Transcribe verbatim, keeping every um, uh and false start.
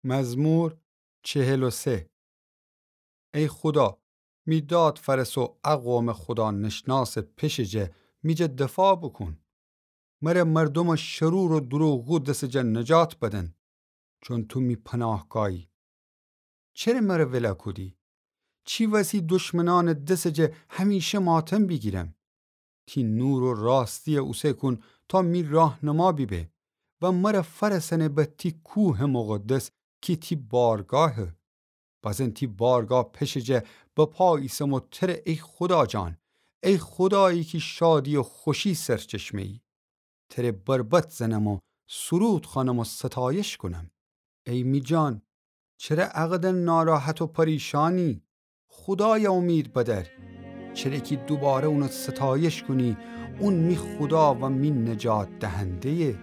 مزمور چهل و سه. ای خودا، می داد فأرس و ا قومٚ خودانشناسٚ پشٚ جه می جه دفاع بوکون. مر مردومٚ شرور و دروغگو دسٚ جه نجات بدن، چون تو می پناهگاهی. چره مر ول کودی؟ چی وسی دشمنأنٚ دسٚ جه همیشه ماتم بیگیرم؟ تی نور و راستی اوسه کون تا می راهنما بیبه و مر فأرسأنه به تی کوهٚ مقدس کی تی بارگاهه. بزن تی بارگاه پشٚ جه به پا ایسم و تره ای خودا جان، ای خودایی کی شادی و خوشی سرچشمه‌یی. تره بربط زنم و سرود خوأنم و ستایش کونم. ای می جان، چره اقدر ناراحت و پریشانی؟ خودای امید بدر، چره کی دوباره اون ستایش کونی. اون می خودا و می نجات دهنده‌یه.